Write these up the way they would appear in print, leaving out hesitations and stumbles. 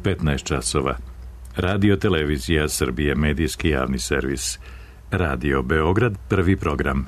15 časova. Radio Televizija Srbije, medijski javni servis. Radio Beograd, prvi program.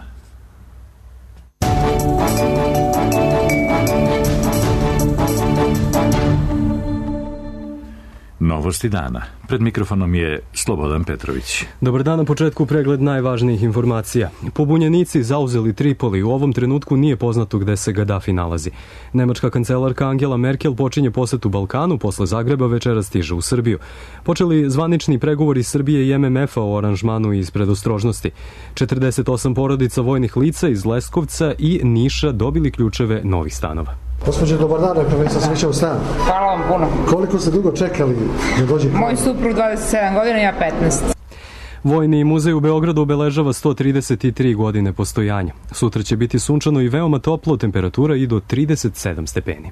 Novosti dana. Pred mikrofonom je Slobodan Petrović. Dobar dan, na početku pregled najvažnijih informacija. Pobunjenici zauzeli Tripoli. U ovom trenutku nije poznato gde se Gadafi nalazi. Nemačka kancelarka Angela Merkel počinje posetu Balkanu, posle Zagreba večera stiže u Srbiju. Počeli zvanični pregovori Srbije i MMF-a o aranžmanu iz predostrožnosti. 48 porodica vojnih lica iz Leskovca i Niša dobili ključeve novih stanova. Gospođe, dobar dan, rekao sam sreća u stan. Hvala vam puno. Koliko ste dugo čekali da dođete? Moj suprug 27 godina, ja 15. Vojni muzej u Beogradu obeležava 133 godine postojanja. Sutra će biti sunčano i veoma toplo, temperatura i do 37 stepeni.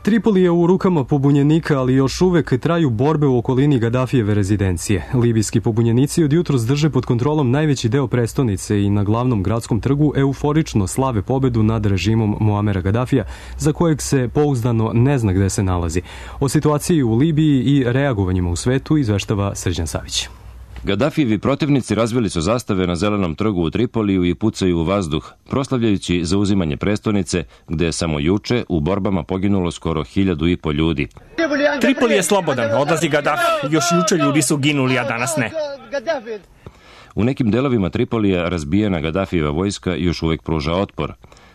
Tripoli je u rukama pobunjenika, ali još uvek traju borbe u okolini Gadafijeve rezidencije. Libijski pobunjenici od jutros drže pod kontrolom najveći deo prestonice i na glavnom gradskom trgu euforično slave pobedu nad režimom Muamera Gadafija, za kojeg se pouzdano ne zna gde se nalazi. O situaciji u Libiji i reagovanjima u svetu izveštava Srđan Savić. Gadafijevi protivnici razvili su zastave na Zelenom trgu u Tripoliju i pucaju u vazduh, proslavljajući zauzimanje prestonice, gde je samo juče u borbama poginulo skoro 1.500 ljudi. Tripoli je slobodan, odlazi Gadafi. Još juče ljudi su ginuli, a danas ne. U nekim delovima Tripolija razbijena Gadafijeva vojska još uvek pruža otpor.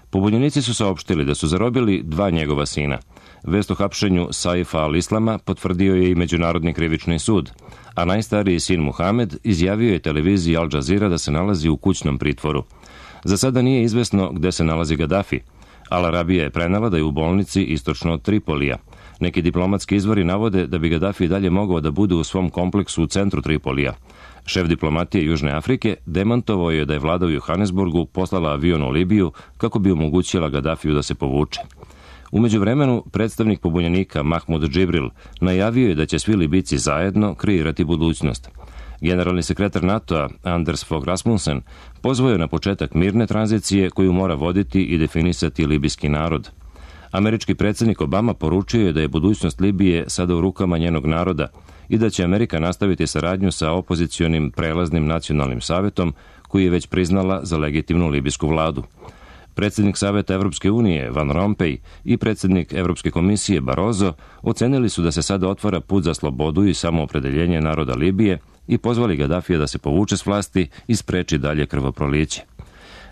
Pobunjenici su saopštili da su zarobili 2 njegova sina. Vest o hapšenju Saifa al-Islama potvrdio je i Međunarodni krivični sud, a najstariji sin Muhamed izjavio je televiziji Al Jazeera da se nalazi u kućnom pritvoru. Za sada nije izvesno gde se nalazi Gadafi. Al Arabija je prenela da je u bolnici istočno od Tripolija. Neki diplomatski izvori navode da bi Gadafi dalje mogao da bude u svom kompleksu u centru Tripolija. Šef diplomatije Južne Afrike demantovao je da je vlada u Johannesburgu poslala avion u Libiju kako bi omogućila Gadafiju da se povuče. U međuvremenu, predstavnik pobunjenika Mahmud Džibril najavio je da će svi Libijci zajedno kreirati budućnost. Generalni sekretar NATO-a Anders Fogh Rasmussen pozvao je na početak mirne tranzicije koju mora voditi i definisati libijski narod. Američki predsjednik Obama poručio je da je budućnost Libije sada u rukama njenog naroda i da će Amerika nastaviti saradnju sa opozicionim prelaznim nacionalnim savetom koji je već priznala za legitimnu libijsku vladu. Predsjednik Saveta Evropske unije Van Rompuy i predsjednik Evropske komisije Barroso ocenili su da se sada otvara put za slobodu i samoopredeljenje naroda Libije i pozvali Gadafija da se povuče s vlasti i spreči dalje krvoproliće.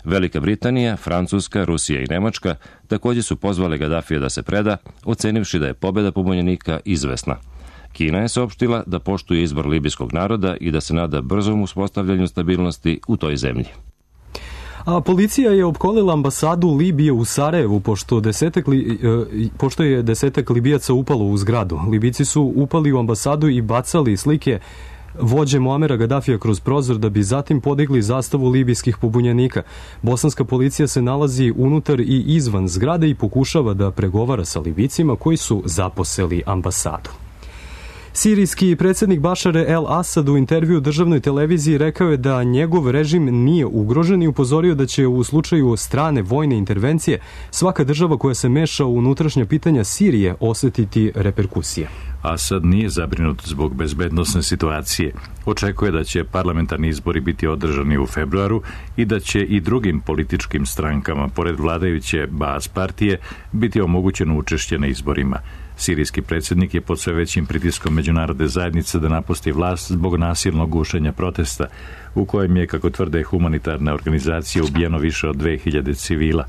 Velika Britanija, Francuska, Rusija i Nemačka također su pozvali Gadafija da se preda, ocenivši da je pobjeda pobunjenika izvesna. Kina je saopštila da poštuje izbor libijskog naroda i da se nada brzom uspostavljanju stabilnosti u toj zemlji. A policija je opkolila ambasadu Libije u Sarajevu, pošto je 10 Libijaca upalo u zgradu. Libijci su upali u ambasadu i bacali slike vođe Muamera Gadafija kroz prozor da bi zatim podigli zastavu libijskih pobunjenika. Bosanska policija se nalazi unutar i izvan zgrade i pokušava da pregovara sa Libijcima koji su zaposeli ambasadu. Sirijski predsjednik Bašar el-Asad u intervju državnoj televiziji rekao je da njegov režim nije ugrožen i upozorio da će u slučaju strane vojne intervencije svaka država koja se meša u unutrašnja pitanja Sirije osetiti reperkusije. Asad nije zabrinut zbog bezbednosne situacije. Očekuje da će parlamentarni izbori biti održani u februaru i da će i drugim političkim strankama, pored vladajuće Baas partije, biti omogućeno učešće na izborima. Sirijski predsjednik je pod sve većim pritiskom međunarodne zajednice da napusti vlast zbog nasilnog gušenja protesta, u kojem je, kako tvrde humanitarne organizacije, ubijeno više od 2000 civila.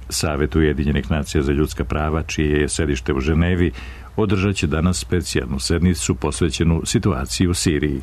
Savet Ujedinjenih nacija za ljudska prava, čije je sedište u Ženevi, održat će danas specijalnu sednicu posvećenu situaciji u Siriji.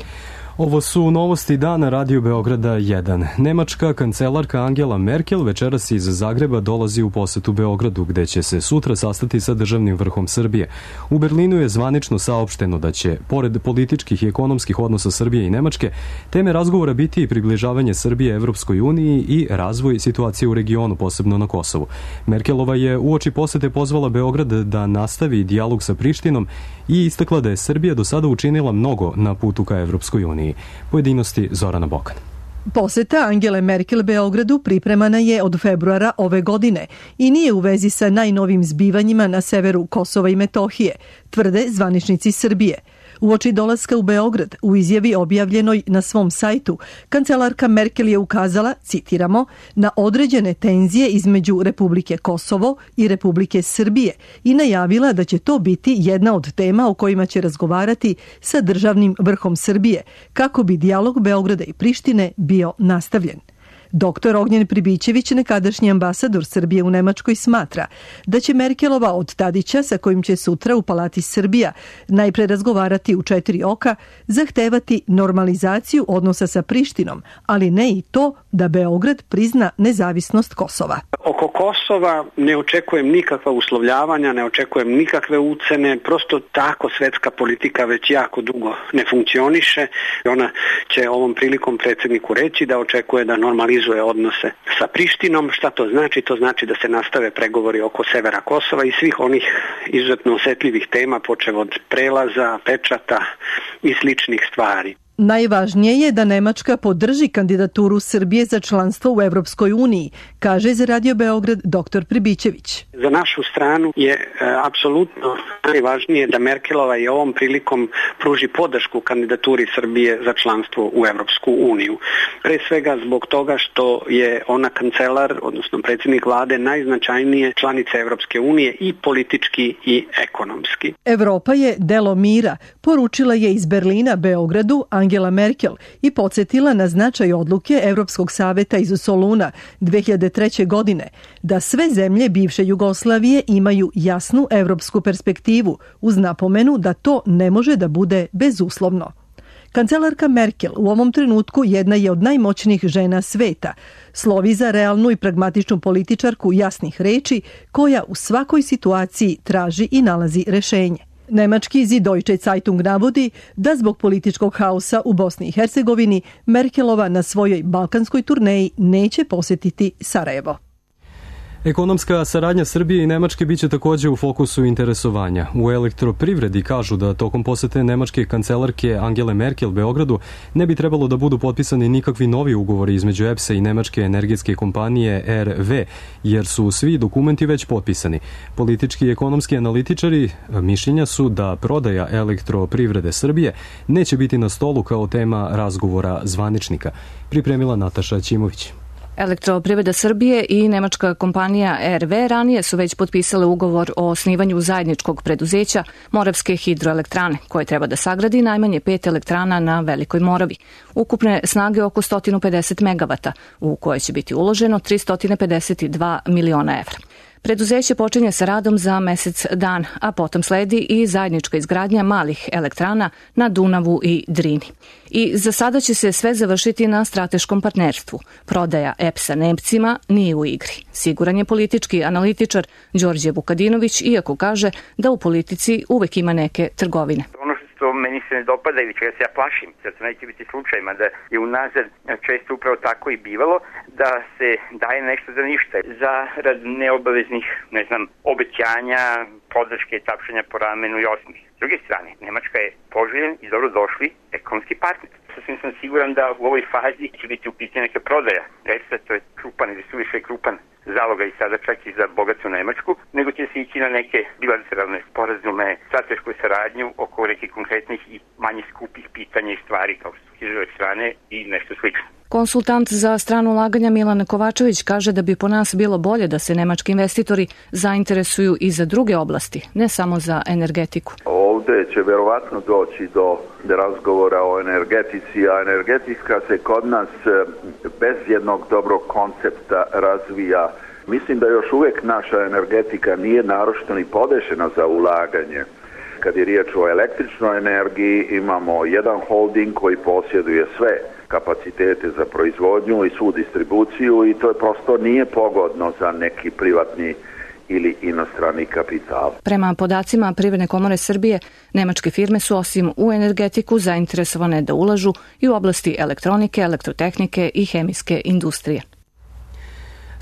Ovo su novosti dana Radio Beograda 1. Nemačka kancelarka Angela Merkel večeras iz Zagreba dolazi u posetu Beogradu, gde će se sutra sastati sa državnim vrhom Srbije. U Berlinu je zvanično saopšteno da će, pored političkih i ekonomskih odnosa Srbije i Nemačke, teme razgovora biti i približavanje Srbije Evropskoj uniji i razvoj situacije u regionu, posebno na Kosovu. Merkelova je uoči posete pozvala Beograd da nastavi dijalog sa Prištinom i istakla da je Srbija do sada učinila mnogo na putu ka Evropskoj uniji. Pojedinosti Zorana Bokan. Poseta Angele Merkel Beogradu pripremana je od februara ove godine i nije u vezi sa najnovim zbivanjima na severu Kosova i Metohije, tvrde zvaničnici Srbije. Uoči dolaska u Beograd, u izjavi objavljenoj na svom sajtu, kancelarka Merkel je ukazala, citiramo, na određene tenzije između Republike Kosovo i Republike Srbije i najavila da će to biti jedna od tema o kojima će razgovarati sa državnim vrhom Srbije, kako bi dijalog Beograda i Prištine bio nastavljen. Dr. Ognjen Pribićević, nekadašnji ambasador Srbije u Nemačkoj, smatra da će Merkelova od Tadića, sa kojim će sutra u Palati Srbija najpre razgovarati u 4 oka, zahtevati normalizaciju odnosa sa Prištinom, ali ne i to da Beograd prizna nezavisnost Kosova. Oko Kosova ne očekujem nikakva uslovljavanja, ne očekujem nikakve ucene, prosto tako svetska politika već jako dugo ne funkcioniše. Ona će ovom prilikom predsjedniku reći da očekuje da normalizuje odnose sa Prištinom. Šta to znači? To znači da se nastave pregovori oko severa Kosova i svih onih izuzetno osetljivih tema, počev od prelaza, pečata i sličnih stvari. Najvažnije je da Nemačka podrži kandidaturu Srbije za članstvo u Evropskoj uniji, kaže za Radio Beograd dr. Pribićević. Za našu stranu je apsolutno najvažnije da Merkelova i ovom prilikom pruži podršku kandidaturi Srbije za članstvo u Evropsku uniju. Pre svega zbog toga što je ona kancelar, odnosno predsjednik vlade, najznačajnije članice Evropske unije i politički i ekonomski. Evropa je delo mira, poručila je iz Berlina Beogradu Angela Merkel i podsjetila na značaj odluke Evropskog saveta iz Soluna 2003. godine da sve zemlje bivše Jugoslavije imaju jasnu evropsku perspektivu uz napomenu da to ne može da bude bezuslovno. Kancelarka Merkel u ovom trenutku jedna je od najmoćnijih žena sveta. Slovi za realnu i pragmatičnu političarku jasnih reči koja u svakoj situaciji traži i nalazi rešenje. Nemački Süddeutsche Zeitung navodi da zbog političkog haosa u Bosni i Hercegovini Merkelova na svojoj balkanskoj turneji neće posjetiti Sarajevo. Ekonomska saradnja Srbije i Nemačke biće također u fokusu interesovanja. U elektroprivredi kažu da tokom posete nemačke kancelarke Angele Merkel Beogradu ne bi trebalo da budu potpisani nikakvi novi ugovori između EPS-a i nemačke energetske kompanije RV, jer su svi dokumenti već potpisani. Politički i ekonomski analitičari mišljenja su da prodaja elektroprivrede Srbije neće biti na stolu kao tema razgovora zvaničnika. Pripremila Nataša Ćimović. Elektroprivreda Srbije i nemačka kompanija RV ranije su već potpisale ugovor o osnivanju zajedničkog preduzeća Moravske hidroelektrane, koje treba da sagradi najmanje 5 elektrana na Velikoj Moravi. Ukupne snage oko 150 megavata, u koje će biti uloženo 352 miliona evra. Preduzeće počinje sa radom za mesec dana, a potom sledi i zajednička izgradnja malih elektrana na Dunavu i Drini. I za sada će se sve završiti na strateškom partnerstvu. Prodaja EPS-a Nemcima nije u igri. Siguran je politički analitičar Đorđe Vukadinović, iako kaže da u politici uvek ima neke trgovine. Što meni se ne dopada ili čega se ja plašim, da to neće biti slučaj, mada je unazad često upravo tako i bivalo, da se daje nešto za ništa, za rad neobaveznih, obećanja, podrške, tapšanja po ramenu i osmih. S druge strane, Nemačka je poželjen i dobro došli ekonomski partner. Sasvim sam siguran da u ovoj fazi će biti u pitanju neka prodaja. Recimo, to je krupan ili suviše krupan zaloga i sada čak i za bogatu Nemačku, nego će se ići na neke bilateralne sporazume, stratešku saradnju oko nekih konkretnih i manje skupih pitanja i stvari kao što su hidroelektrane i nešto slično. Konsultant za strano ulaganja Milan Kovačević kaže da bi po nas bilo bolje da se nemački investitori zainteresuju i za druge oblasti, ne samo za energetiku. Ovde će verovatno doći do razgovora o energetici, a energetika se kod nas bez jednog dobrog koncepta razvija. Mislim da još uvek naša energetika nije naročito ni podešena za ulaganje. Kad je riječ o električnoj energiji, imamo jedan holding koji posjeduje sve kapacitete za proizvodnju i svu distribuciju i to je prosto nije pogodno za neki privatni ili inostrani kapital. Prema podacima Privredne komore Srbije, nemačke firme su osim u energetiku zainteresovane da ulažu i u oblasti elektronike, elektrotehnike i hemijske industrije.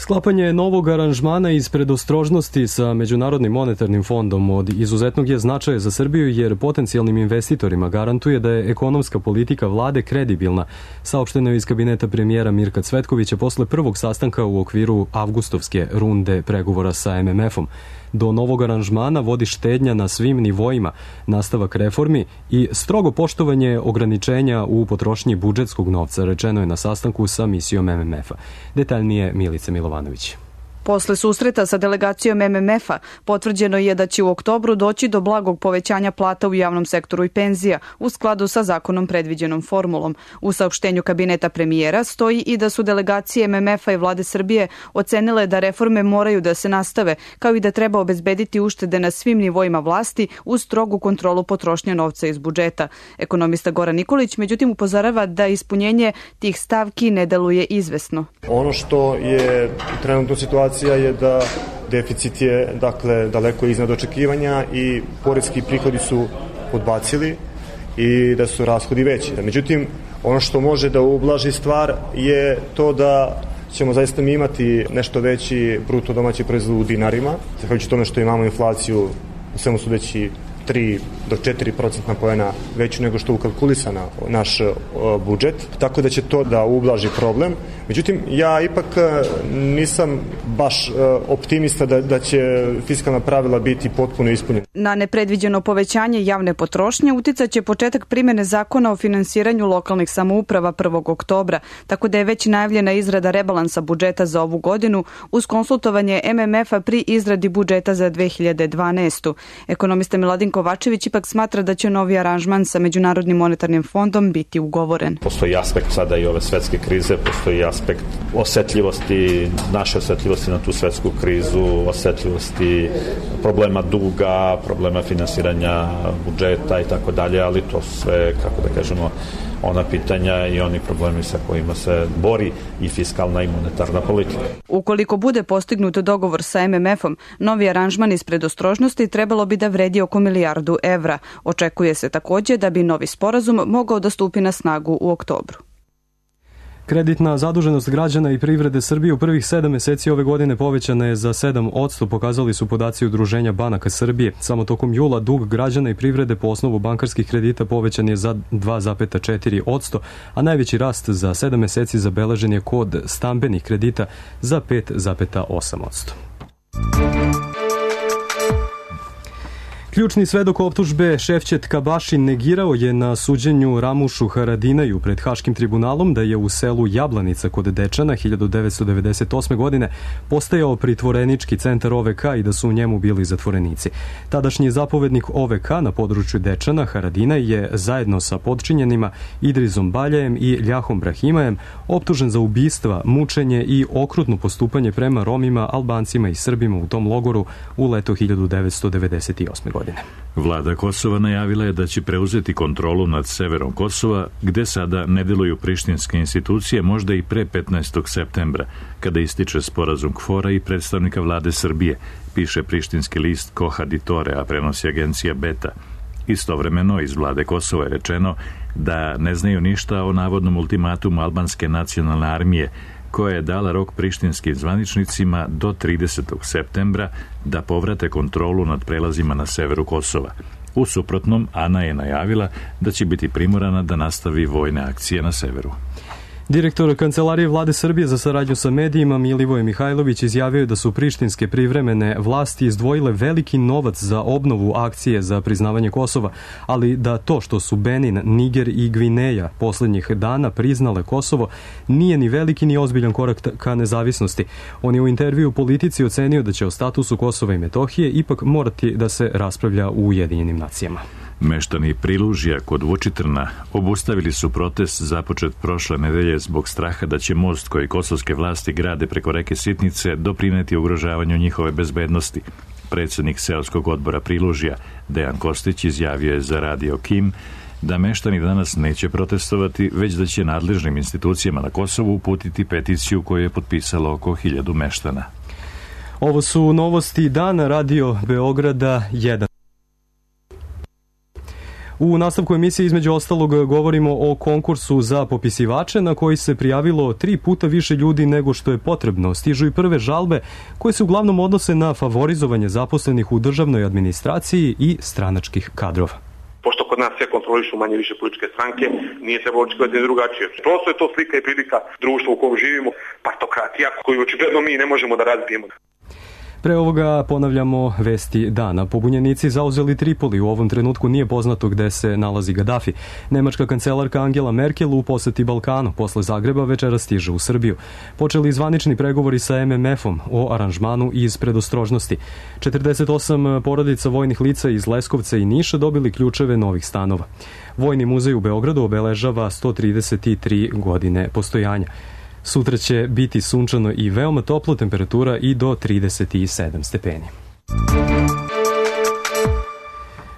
Sklapanje novog aranžmana iz predostrožnosti sa Međunarodnim monetarnim fondom od izuzetnog je značaja za Srbiju jer potencijalnim investitorima garantuje da je ekonomska politika vlade kredibilna, saopšteno je iz kabineta premijera Mirka Cvetkovića posle prvog sastanka u okviru avgustovske runde pregovora sa MMF-om. Do novog aranžmana vodi štednja na svim nivoima, nastavak reformi i strogo poštovanje ograničenja u potrošnji budžetskog novca, rečeno je na sastanku sa misijom MMF-a. Detaljnije Milica Milovanović. Posle susreta sa delegacijom MMF-a potvrđeno je da će u oktobru doći do blagog povećanja plata u javnom sektoru i penzija u skladu sa zakonom predviđenom formulom. U saopštenju kabineta premijera stoji i da su delegacije MMF-a i vlade Srbije ocenile da reforme moraju da se nastave, kao i da treba obezbediti uštede na svim nivoima vlasti uz strogu kontrolu potrošnje novca iz budžeta. Ekonomista Goran Nikolić međutim upozorava da ispunjenje tih stavki ne deluje izvesno. Ono što je trenutno situacija je da deficit je daleko iznad očekivanja i poreski prihodi su podbacili i da su rashodi veći. Međutim, ono što može da ublaži stvar je to da ćemo zaista mi imati nešto veći bruto domaći proizvod u dinarima, zahvaljujući tome što imamo inflaciju u svemu sudeći 3 do 4% poena veću nego što je ukalkulisana naš budžet, tako da će to da ublaži problem. Međutim, ja ipak nisam baš optimista da će fiskalna pravila biti potpuno ispunjena. Na nepredviđeno povećanje javne potrošnje uticaće početak primene zakona o finansiranju lokalnih samouprava 1. oktobra, tako da je već najavljena izrada rebalansa budžeta za ovu godinu uz konsultovanje MMF-a pri izradi budžeta za 2012. Ekonomista Miladin Kovačević ipak smatra da će novi aranžman sa Međunarodnim monetarnim fondom biti ugovoren. Postoji aspekt sada i ove svetske krize, postoji aspekt osetljivosti, naše osetljivosti na tu svetsku krizu, osetljivosti problema duga, problema finansiranja budžeta i tako dalje, ali to sve, kako da kažemo, ona pitanja i oni problemi sa kojima se bori i fiskalna i monetarna politika. Ukoliko bude postignut dogovor sa MMF-om, novi aranžman iz predostrožnosti trebalo bi da vredi oko milijardu evra. Očekuje se takođe da bi novi sporazum mogao da stupi na snagu u oktobru. Kreditna zaduženost građana i privrede Srbije u prvih 7 meseci ove godine povećana je za 7%, pokazali su podaci Udruženja banaka Srbije. Samo tokom jula dug građana i privrede po osnovu bankarskih kredita povećan je za 2,4%, a najveći rast za 7 meseci zabeležen je kod stambenih kredita za 5,8%. Ključni svedok optužbe Ševčet Kabašin negirao je na suđenju Ramušu Haradinaju pred Haškim tribunalom da je u selu Jablanica kod Dečana 1998. godine postajao pritvorenički centar OVK i da su u njemu bili zatvorenici. Tadašnji zapovednik OVK na području Dečana, Haradinaj, je zajedno sa podčinjenima Idrizom Baljajem i Ljahom Brahimajem optužen za ubistva, mučenje i okrutno postupanje prema Romima, Albancima i Srbima u tom logoru u leto 1998. godine. Vlada Kosova najavila je da će preuzeti kontrolu nad severom Kosova, gde sada ne deluju prištinske institucije, možda i pre 15. septembra, kada ističe sporazum KFOR-a i predstavnika vlade Srbije, piše prištinski list Kohaditore, a prenosi agencija Beta. Istovremeno iz vlade Kosova je rečeno da ne znaju ništa o navodnom ultimatumu albanske nacionalne armije, koja je dala rok prištinskim zvaničnicima do 30. septembra da povrate kontrolu nad prelazima na severu Kosova. U suprotnom, Ana je najavila da će biti primorana da nastavi vojne akcije na severu. Direktor Kancelarije vlade Srbije za saradnju sa medijima Milivoje Mihajlović izjavio da su prištinske privremene vlasti izdvojile veliki novac za obnovu akcije za priznavanje Kosova, ali da to što su Benin, Niger i Gvineja poslednjih dana priznale Kosovo nije ni veliki ni ozbiljan korak ka nezavisnosti. On je u intervju Politici ocenio da će o statusu Kosova i Metohije ipak morati da se raspravlja u Ujedinjenim nacijama. Meštani Prilužja kod Vučitrna obustavili su protest započet prošle nedelje zbog straha da će most koji kosovske vlasti grade preko reke Sitnice doprineti ugrožavanju njihove bezbednosti. Predsednik seoskog odbora Prilužja, Dejan Kostić, izjavio je za Radio Kim da meštani danas neće protestovati, već da će nadležnim institucijama na Kosovu uputiti peticiju koju je potpisalo oko 1000 meštana. Ovo su novosti dana Radio Beograda 1. U nastavku emisije između ostalog govorimo o konkursu za popisivače na koji se prijavilo 3 puta više ljudi nego što je potrebno. Stižu i prve žalbe koje se uglavnom odnose na favorizovanje zaposlenih u državnoj administraciji i stranačkih kadrova. Pošto kod nas sve kontrolišu manje više političke stranke, nije trebalo očekivati drugačije. Prosto je to slika i prilika društva u kojem živimo, partokratija koju očigledno mi ne možemo da razbijemo. Pre ovoga ponavljamo vesti dana. Pobunjenici zauzeli Tripoli. U ovom trenutku nije poznato gde se nalazi Gadafi. Nemačka kancelarka Angela Merkel u poseti Balkanu. Posle Zagreba večera stiže u Srbiju. Počeli zvanični pregovori sa MMF-om o aranžmanu iz predostrožnosti. 48 porodica vojnih lica iz Leskovca i Niša dobili ključeve novih stanova. Vojni muzej u Beogradu obeležava 133 godine postojanja. Sutra će biti sunčano i veoma toplo, temperatura i do 37 stepeni.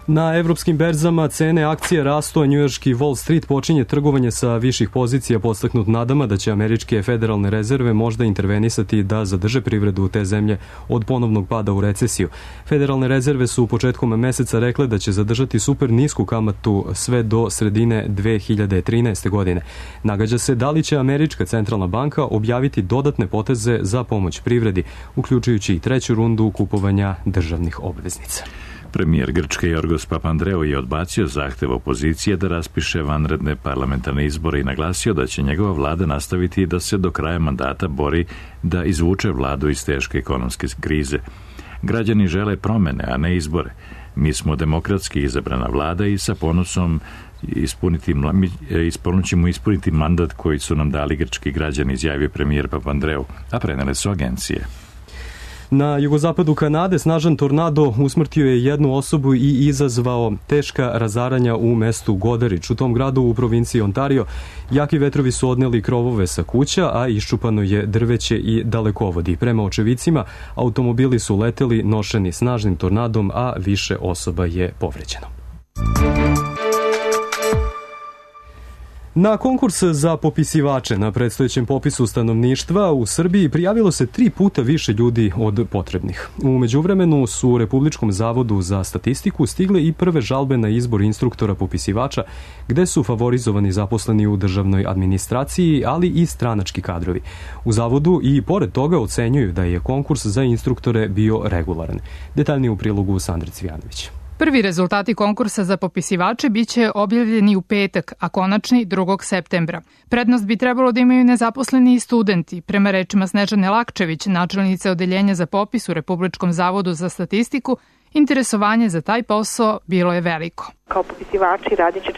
Na evropskim berzama cene akcije rastu, a njujorški Wall Street počinje trgovanje sa viših pozicija podstaknut nadama da će američke federalne rezerve možda intervenisati da zadrže privredu te zemlje od ponovnog pada u recesiju. Federalne rezerve su u početkom meseca rekle da će zadržati super nisku kamatu sve do sredine 2013. godine. Nagađa se da li će američka centralna banka objaviti dodatne poteze za pomoć privredi, uključujući i treću rundu kupovanja državnih obveznica. Premijer Grčke Jorgos Papandreou je odbacio zahtev opozicije da raspiše vanredne parlamentarne izbore i naglasio da će njegova vlada nastaviti da se do kraja mandata bori da izvuče vladu iz teške ekonomske krize. Građani žele promene, a ne izbore. Mi smo demokratski izabrana vlada i sa ponosom ćemo ispuniti mandat koji su nam dali grčki građani, izjavio premijer Papandreou, a prenele su agencije. Na jugozapadu Kanade snažan tornado usmrtio je jednu osobu i izazvao teška razaranja u mestu Goderić. U tom gradu u provinciji Ontario jaki vetrovi su odneli krovove sa kuća, a iščupano je drveće i dalekovodi. Prema očevicima, automobili su leteli nošeni snažnim tornadom, a više osoba je povređeno. Na konkurs za popisivače na predstojećem popisu stanovništva u Srbiji prijavilo se 3 puta više ljudi od potrebnih. U međuvremenu su u Republičkom zavodu za statistiku stigle i prve žalbe na izbor instruktora popisivača, gde su favorizovani zaposleni u državnoj administraciji, ali i stranački kadrovi. U zavodu i pored toga ocenjuju da je konkurs za instruktore bio regularan. Detaljnije u prilogu Sandre Cvijanović. Prvi rezultati konkursa za popisivače biće objavljeni u petak, a konačni 2. septembra. Prednost bi trebalo da imaju nezaposleni i studenti. Prema rečima Snežane Lakčević, načelnice odeljenja za popis u Republičkom zavodu za statistiku, interesovanje za taj posao bilo je veliko. Kao popisivači radit će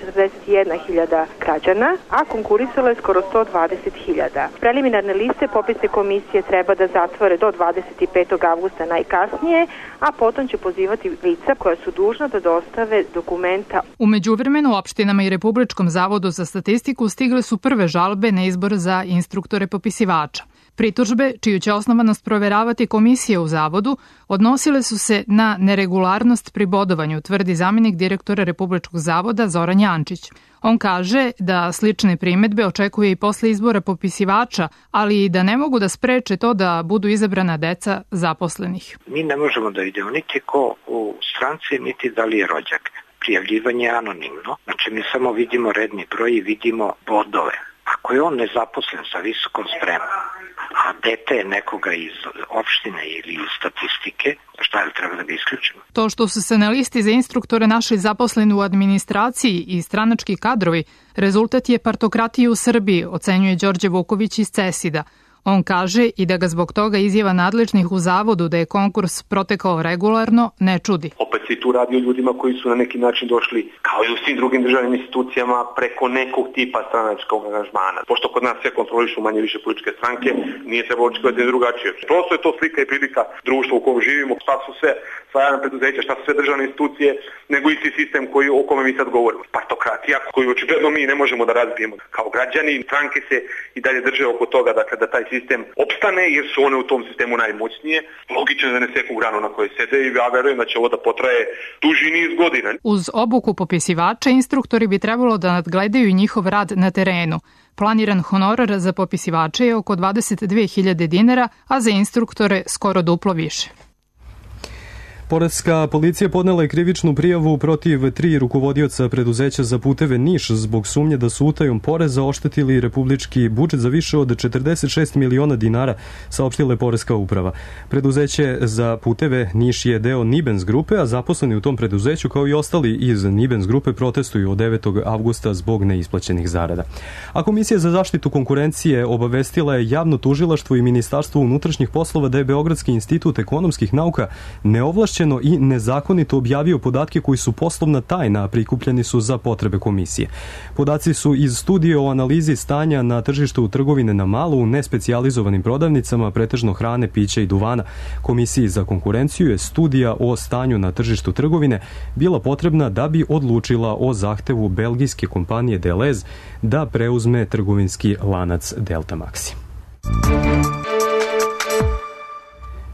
41.000 građana, a konkurisalo je skoro 120.000. Preliminarne liste popisne komisije treba da zatvore do 25. avgusta najkasnije, a potom će pozivati lica koja su dužna da dostave dokumenta. U međuvremenu opštinama i Republičkom zavodu za statistiku stigle su prve žalbe na izbor za instruktore popisivača. Pritužbe, čiju će osnovanost proveravati komisije u zavodu, odnosile su se na neregularnost pri bodovanju, tvrdi zamenik direktora Republičkog zavoda Zoran Jančić. On kaže da slične primetbe očekuje i posle izbora popisivača, ali i da ne mogu da spreče to da budu izabrana deca zaposlenih. Mi ne možemo da vidimo niti ko u stranci, niti da li je rođak. Prijavljivanje je anonimno, znači mi samo vidimo redni broj i vidimo bodove. Ako je on nezaposlen sa visokom spremom, a dete je nekoga iz opštine ili iz statistike, šta je treba da ga isključimo? To što su se na listi za instruktore našli zaposleni u administraciji i stranački kadrovi, rezultat je partokratije u Srbiji, ocenjuje Đorđe Vuković iz CESID-a. On kaže i da ga zbog toga izjava nadležnih u zavodu da je konkurs protekao regularno ne čudi. Opet se tu radi o ljudima koji su na neki način došli, kao i u svim drugim državnim institucijama, preko nekog tipa stranačkog aranžmana. Pošto kod nas sve kontrolišu manje više političke stranke, nije trebalo očekivati drugačije. Prosto je to slika i prilika društva u kojem živimo, šta su sve javna preduzeća, šta su sve državne institucije, nego isti sistem o kome mi sad govorimo. Partokratija koju očigledno mi ne možemo da razbijemo. Kao građani, stranke se i dalje drže oko toga da taj sistem opstane, jer su one u tom sistemu najmoćnije. Logično da ne seku granu na kojoj sede i ja verujem da će ovo da potraje duži niz godina. Uz obuku popisivača, instruktori bi trebalo da nadgledaju njihov rad na terenu. Planiran honorar za popisivače je oko 22.000 dinara, a za instruktore skoro duplo više. Poreska policija podnela je krivičnu prijavu protiv 3 rukovodioca preduzeća za puteve Niš zbog sumnje da su utajom poreza oštetili republički budžet za više od 46 miliona dinara, saopštila je Poreska uprava. Preduzeće za puteve Niš je deo Nibens grupe, a zaposleni u tom preduzeću kao i ostali iz Nibens grupe protestuju od 9. avgusta zbog neisplaćenih zarada. A Komisija za zaštitu konkurencije obavestila je javno tužilaštvo i Ministarstvo unutrašnjih poslova da je Beogradski institut ekonomskih nauka neovlašćeno i nezakonito objavio podatke koji su poslovna tajna, a prikupljeni su za potrebe komisije. Podaci su iz studije o analizi stanja na tržištu trgovine na malo u nespecijalizovanim prodavnicama, pretežno hrane, pića i duvana. Komisiji za konkurenciju je studija o stanju na tržištu trgovine bila potrebna da bi odlučila o zahtevu belgijske kompanije Deleuze da preuzme trgovinski lanac Delta Maxi.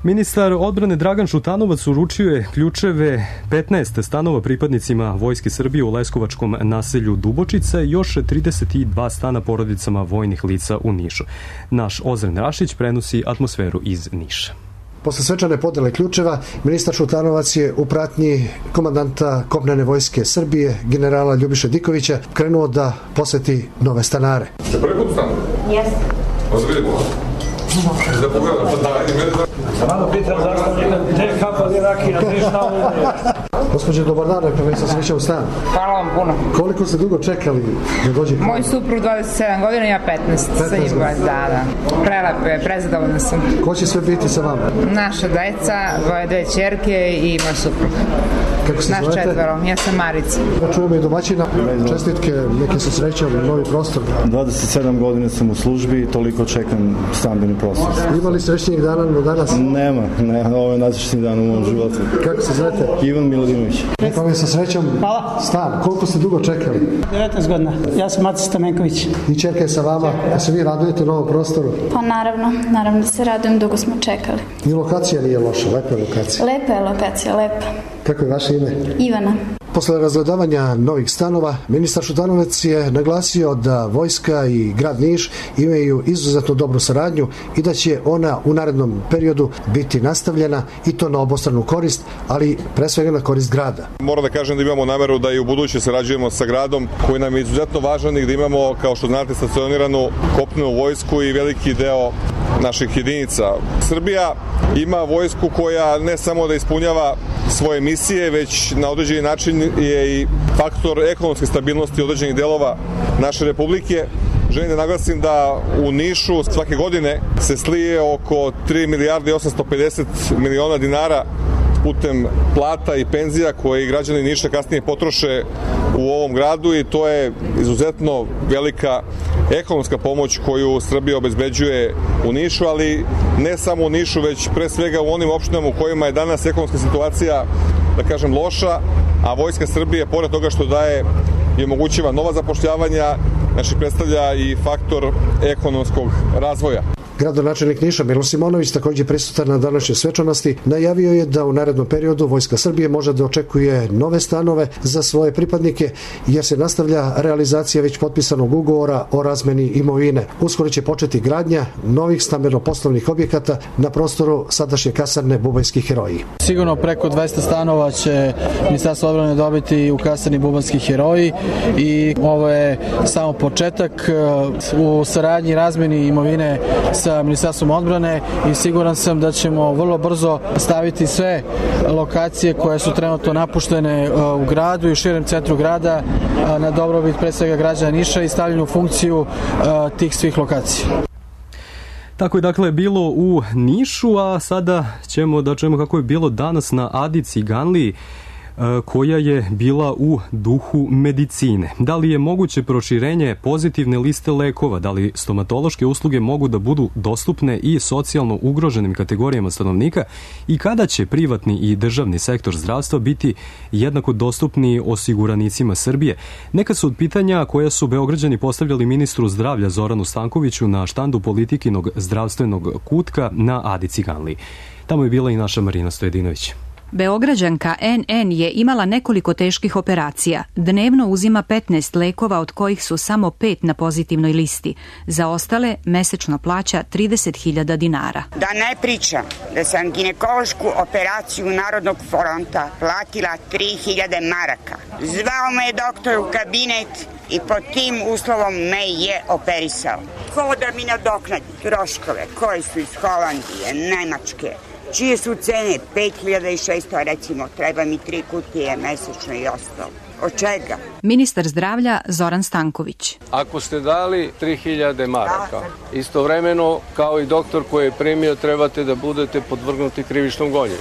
Ministar odbrane Dragan Šutanovac uručio je ključeve 15 stanova pripadnicima Vojske Srbije u leskovačkom naselju Dubočica i još 32 stana porodicama vojnih lica u Nišu. Naš Ozren Rašić prenosi atmosferu iz Niša. Posle svečane podele ključeva, ministar Šutanovac je u pratnji komandanta kopnene Vojske Srbije, generala Ljubiše Dikovića, krenuo da poseti nove stanare. Ste prvi put stanu? Jeste. Ozbiljno. Da pogledam, pa da, i mene da... Samo pitam zašto gde kapali rakija, gde šta ovo? Gospođe, dobar dan, rekao sam sreća u stan. Hvala vam puno. Koliko ste dugo čekali da dođete? Moj suprug 27 godina, ja 15. Sa njim da. Prelepo je, prezadovoljna sam. Ko će sve biti sa vama? Naša deca, dve ćerke i moj suprug. Kako se zovete? Naš četvoro, ja sam Marica. Da čujemo i domaćina, čestitke, neke sa srećom, novi prostor. 27 godina sam u službi i toliko čekam stambeni prostor. Ima li srećnijeg dana do danas? Nema, ovo je najsrećniji dan u mom životu. Kako se zovete? Ivan Miladinović. Rekao mi sa srećom stan. Koliko ste dugo čekali? 19 godina. Ja sam Matica Stamenković. I čerka je sa vama. Da se vi radujete novom prostoru? Pa naravno da se radujem, dugo smo čekali. I lokacija nije loša, lepa je lokacija. Lepa je lokacija, lepa. Kako je vaše ime? Ivana. Posle razgledavanja novih stanova, ministar Šutanovac je naglasio da Vojska i grad Niš imaju izuzetno dobru saradnju i da će ona u narednom periodu biti nastavljena i to na obostranu korist, ali pre svega na korist grada. Moram da kažem da imamo nameru da i u buduće sarađujemo sa gradom koji nam je izuzetno važan i da imamo, kao što znate, stacioniranu kopnenu vojsku i veliki deo naših jedinica. Srbija ima vojsku koja ne samo da ispunjava svoje misije, već na određeni način je i faktor ekonomske stabilnosti određenih delova naše republike. Želim da naglasim da u Nišu svake godine se slije oko 3 milijarde i 850 miliona dinara putem plata i penzija koje građani Niša kasnije potroše u ovom gradu i to je izuzetno velika ekonomska pomoć koju Srbija obezbeđuje u Nišu, ali ne samo u Nišu, već pre svega u onim opštinama u kojima je danas ekonomska situacija, da kažem, loša, a Vojska Srbije, pored toga što daje i omogućava nova zapošljavanja, znači predstavlja i faktor ekonomskog razvoja. Gradonačelnik Niša Milo Simonović, također prisutan na današnjoj svečanosti, najavio je da u narednom periodu Vojska Srbije može da očekuje nove stanove za svoje pripadnike, jer se nastavlja realizacija već potpisanog ugovora o razmeni imovine. Uskoro će početi gradnja novih stambeno-poslovnih objekata na prostoru sadašnje kasarne Bubanjski heroji. Sigurno preko 200 stanova će Ministarstvo odbrane dobiti u kasarni Bubanjski heroji i ovo je samo početak u saradnji razmeni imovine sa Ministarstvom odbrane i siguran sam da ćemo vrlo brzo staviti sve lokacije koje su trenutno napuštene u gradu i u širem centru grada na dobrobit pre svega građana Niša i stavljanju u funkciju tih svih lokacija. Tako je dakle bilo u Nišu, a sada ćemo da čujemo kako je bilo danas na Adi Ciganliji, koja je bila u duhu medicine. Da li je moguće proširenje pozitivne liste lekova? Da li stomatološke usluge mogu da budu dostupne i socijalno ugroženim kategorijama stanovnika? I kada će privatni i državni sektor zdravstva biti jednako dostupni osiguranicima Srbije? Neka su od pitanja koja su Beograđani postavljali ministru zdravlja Zoranu Stankoviću na štandu Politikinog zdravstvenog kutka na Adi Ciganliji. Tamo je bila i naša Marina Stojedinović. Beograđanka NN je imala nekoliko teških operacija. Dnevno uzima 15 lekova, od kojih su samo 5 na pozitivnoj listi. Za ostale mesečno plaća 30.000 dinara. Da ne pričam da sam ginekološku operaciju Narodnog fronta platila 3.000 maraka. Zvao me je doktor u kabinet i pod tim uslovom me je operisao. Ko da mi nadoknadi troškove koji su iz Holandije, Nemačke, čije su cene 5.600, recimo, treba mi 3 kutije mesečno i ostalo. Od čega? Ministar zdravlja Zoran Stanković. Ako ste dali 3.000 maraka, istovremeno kao i doktor koji je primio trebate da budete podvrgnuti krivičnom gonjenju.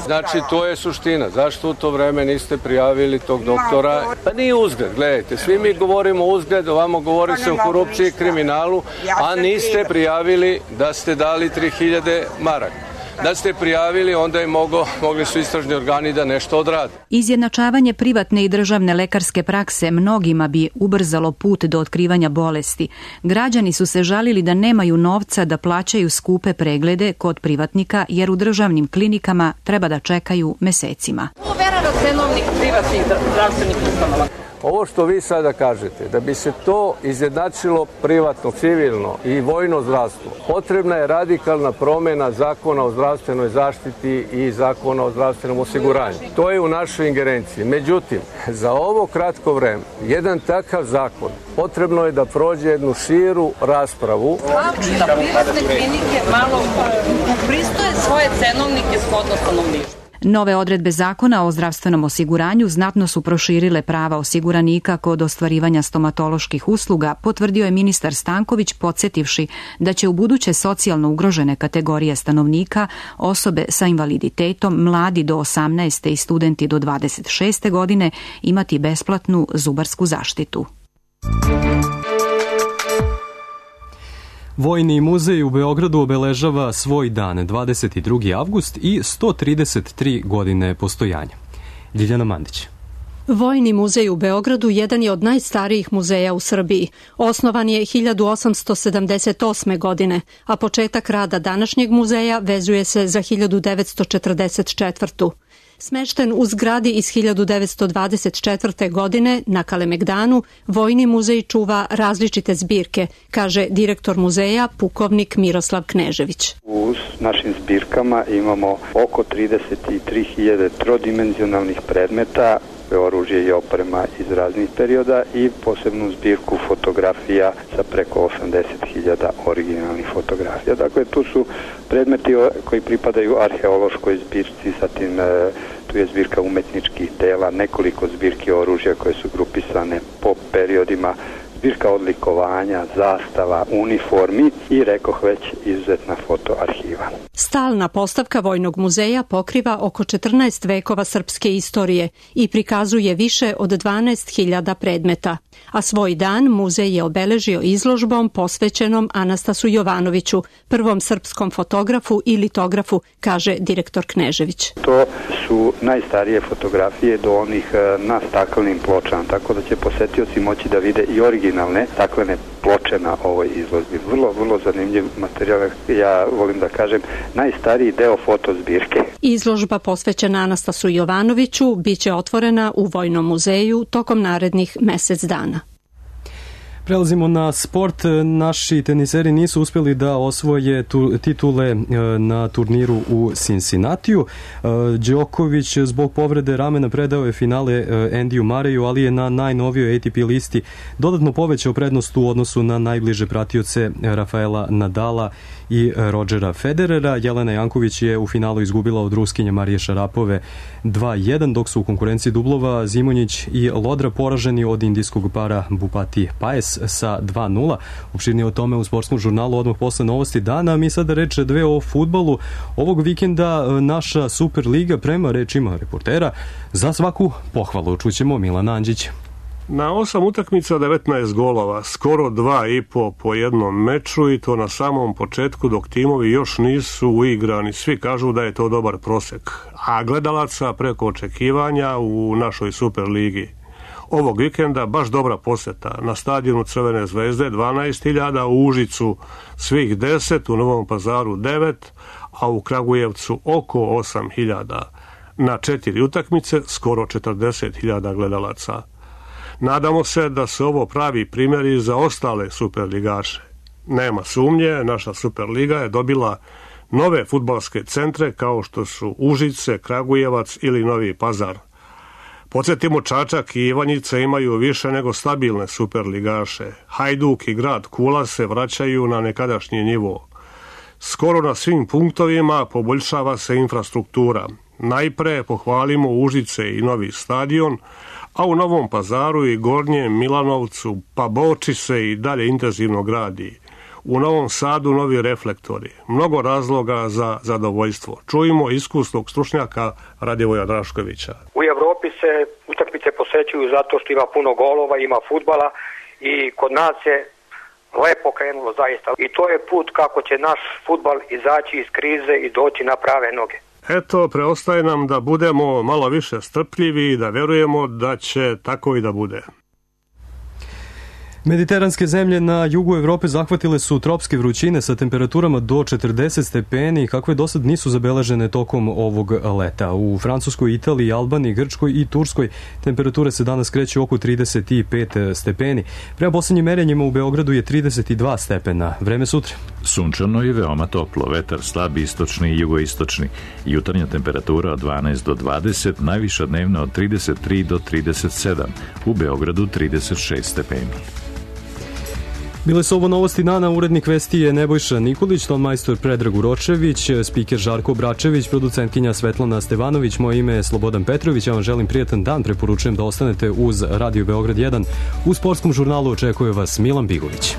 Znači to je suština. Zašto u to vreme niste prijavili tog doktora? Pa nije uzgled, gledajte, svi mi govorimo uzgled, ovamo govori se o korupciji i kriminalu, a niste prijavili da ste dali 3.000 maraka. Da ste prijavili, onda je mogli su istražni organi da nešto odrade. Izjednačavanje privatne i državne lekarske prakse mnogima bi ubrzalo put do otkrivanja bolesti. Građani su se žalili da nemaju novca da plaćaju skupe preglede kod privatnika, jer u državnim klinikama treba da čekaju mesecima. Cenovnik privatnih zdravstvenih ustanova. Ovo što vi sada kažete, da bi se to izjednačilo privatno, civilno i vojno zdravstvo, potrebna je radikalna promjena Zakona o zdravstvenoj zaštiti i Zakona o zdravstvenom osiguranju. To je u našoj ingerenciji. Međutim, za ovo kratko vreme, jedan takav zakon potrebno je da prođe jednu širu raspravu. Da privatne klinike malo upristoje svoje cenovnike shodno stanovništvu. Nove odredbe Zakona o zdravstvenom osiguranju znatno su proširile prava osiguranika kod ostvarivanja stomatoloških usluga, potvrdio je ministar Stanković, podsjetivši da će u buduće socijalno ugrožene kategorije stanovnika, osobe sa invaliditetom, mladi do 18. i studenti do 26. godine imati besplatnu zubarsku zaštitu. Vojni muzej u Beogradu obeležava svoj dan, 22. avgust i 133 godine postojanja. Ljiljana Mandić. Vojni muzej u Beogradu jedan je od najstarijih muzeja u Srbiji. Osnovan je 1878. godine, a početak rada današnjeg muzeja vezuje se za 1944. Smešten u zgradi iz 1924. godine na Kalemegdanu, Vojni muzej čuva različite zbirke, kaže direktor muzeja, pukovnik Miroslav Knežević. U našim zbirkama imamo oko 33.000 trodimenzionalnih predmeta, oružje i oprema iz raznih perioda i posebnu zbirku fotografija sa preko 80.000 originalnih fotografija. Dakle, tu su predmeti koji pripadaju arheološkoj zbirci, zatim tu je zbirka umetničkih dela, nekoliko zbirki oružja koje su grupisane po periodima, zbirka odlikovanja, zastava, uniformi i, rekoh već, izuzetna fotoarhiva. Stalna postavka Vojnog muzeja pokriva oko 14 vekova srpske istorije i prikazuje više od 12.000 predmeta. A svoj dan muzej je obeležio izložbom posvećenom Anastasu Jovanoviću, prvom srpskom fotografu i litografu, kaže direktor Knežević. To su najstarije fotografije do onih na staklenim pločama, tako da će posetioci moći da vide i originalne staklene ploče na ovoj izložbi. Vrlo zanimljiv materijal, ja volim da kažem, najstariji deo fotozbirke. Izložba posvećena Anastasu Jovanoviću biće otvorena u Vojnom muzeju tokom narednih mesec dana. Prelazimo na sport. Naši teniseri nisu uspjeli da osvoje titule na turniru u Cincinnatiju. Đoković zbog povrede ramena predao je finale Andyju Murrayu, ali je na najnovijoj ATP listi dodatno povećao prednost u odnosu na najbliže pratioce Rafaela Nadala i Rodgera Federera. Jelena Janković je u finalu izgubila od Ruskinje Marije Šarapove 2-1, dok su u konkurenciji dublova Zimonjić i Lodra poraženi od indijskog para Bupati Paes sa 2-0. Opširnije o tome u sportskom žurnalu odmah posle novosti dana. Mi sada reč dve o fudbalu. Ovog vikenda naša Superliga, prema rečima reportera, za svaku pohvalu. Čućemo Milana Andžića. Na 8 utakmica 19 golova, skoro 2,5 po jednom meču, i to na samom početku dok timovi još nisu uigrani. Svi kažu da je to dobar prosek, a gledalaca preko očekivanja u našoj Superligi. Ovog vikenda baš dobra poseta. Na stadionu Crvene zvezde 12.000, u Užicu svih 10, u Novom Pazaru 9, a u Kragujevcu oko 8.000. na 4 utakmice skoro 40.000 gledalaca. Nadamo se da se ovo pravi primjeri za ostale superligaše. Nema sumnje, naša Superliga je dobila nove fudbalske centre kao što su Užice, Kragujevac ili Novi Pazar. Podsjetimo, Čačak i Ivanjica imaju više nego stabilne superligaše. Hajduk i grad Kula se vraćaju na nekadašnji nivo. Skoro na svim punktovima poboljšava se infrastruktura. Najpre pohvalimo Užice i novi stadion, a u Novom Pazaru i Gornjem Milanovcu pa Boči se i dalje intenzivno gradi. U Novom Sadu novi reflektori. Mnogo razloga za zadovoljstvo. Čujemo iskusnog stručnjaka Radivoja Draškovića. U Evropi se utakmice posećuju zato što ima puno golova, ima fudbala i kod nas je lepo krenulo zaista. I to je put kako će naš fudbal izaći iz krize i doći na prave noge. Eto, preostaje nam da budemo malo više strpljivi i da verujemo da će tako i da bude. Mediteranske zemlje na jugu Evrope zahvatile su tropske vrućine sa temperaturama do 40 stepeni, kakve do sad nisu zabeležene tokom ovog leta. U Francuskoj, Italiji, Albaniji, Grčkoj i Turskoj temperature se danas kreću oko 35 stepeni. Prema posljednjim merenjima u Beogradu je 32 stepena. Vreme sutra. Sunčano i veoma toplo, vetar slab istočni i jugoistočni. Jutarnja temperatura od 12 do 20, najviša dnevna od 33 do 37. U Beogradu 36 stepeni. Bile su ovo novosti dana, urednik vesti je Nebojša Nikolić, tonmajstor Predrag Uročević, spiker Žarko Bračević, producentkinja Svetlana Stevanović, moje ime je Slobodan Petrović, ja vam želim prijatan dan, preporučujem da ostanete uz Radio Beograd 1. U sportskom žurnalu očekuje vas Milan Bigović.